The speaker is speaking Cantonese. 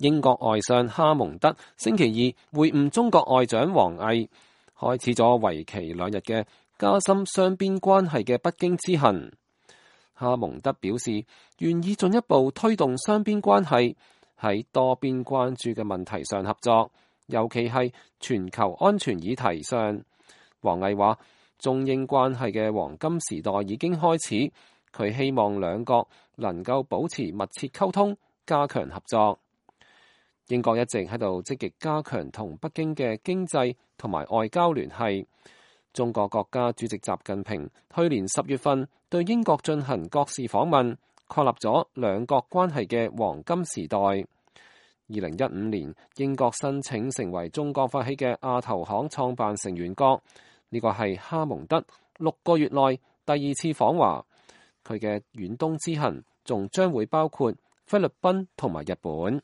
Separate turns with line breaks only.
英國外相哈蒙德星期二會晤中國外長王毅，開始咗為期2日嘅加深雙邊關係嘅北京之行。哈蒙德表示願意進一步推動雙邊關係喺多邊關注嘅問題上合作，尤其係全球安全議題上。王毅話中英關係嘅黃金時代已經開始，佢希望兩國能夠保持密切溝通，加強合作。英國一直喺度積極加強同北京嘅經濟同埋外交聯繫。中國國家主席習近平去年10月份對英國進行國事訪問，確立咗兩國關係嘅黃金時代。2015年，英國申請成為中國發起嘅亞投行創辦成員國，呢個係哈蒙德6個月內第2次訪華。佢嘅遠東之行仲將會包括菲律賓同埋日本。